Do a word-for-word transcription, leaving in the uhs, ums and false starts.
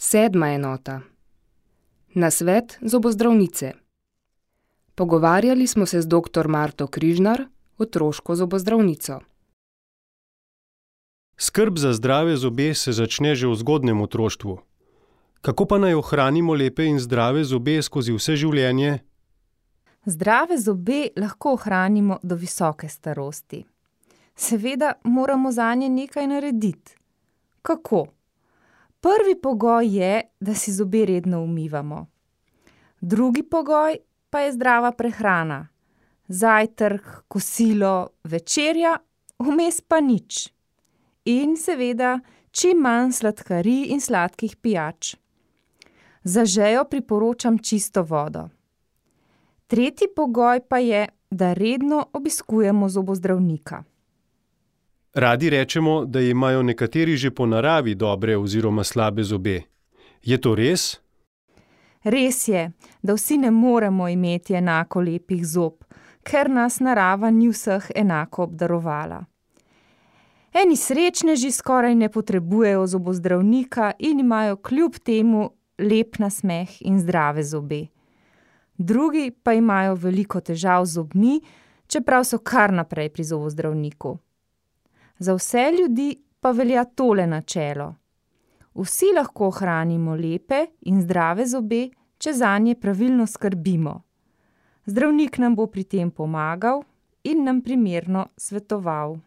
Sedma enota. Nasvet zobozdravnice. Pogovarjali smo se z doktor Marto Križnar, otroško zobozdravnico. Skrb za zdrave zobe se začne že v zgodnjem otroštvu. Kako pa naj ohranimo lepe in zdrave zobe skozi vse življenje? Zdrave zobe lahko ohranimo do visoke starosti. Seveda moramo zanje nekaj narediti. Kako? Prvi pogoj je, da si zobe redno umivamo. Drugi pogoj pa je zdrava prehrana. Zajtrk, kosilo, večerja, vmes pa nič. In seveda čim manj sladkarij in sladkih pijač. Za žejo priporočam čisto vodo. Tretji pogoj pa je, da redno obiskujemo zobozdravnika. Radi rečemo, da imajo nekateri že po naravi dobre oziroma slabe zobe. Je to res? Res je, da vsi ne moremo imeti enako lepih zob, ker nas narava ni vseh enako obdarovala. Eni srečneži skoraj ne potrebujejo zobozdravnika in imajo kljub temu lep nasmeh in zdrave zobe. Drugi pa imajo veliko težav z zobmi, čeprav so kar naprej pri zobozdravniku. Za vse ljudi pa velja tole načelo. Vsi lahko ohranimo lepe in zdrave zobe, če zanje pravilno skrbimo. Zdravnik nam bo pri tem pomagal in nam primerno svetoval.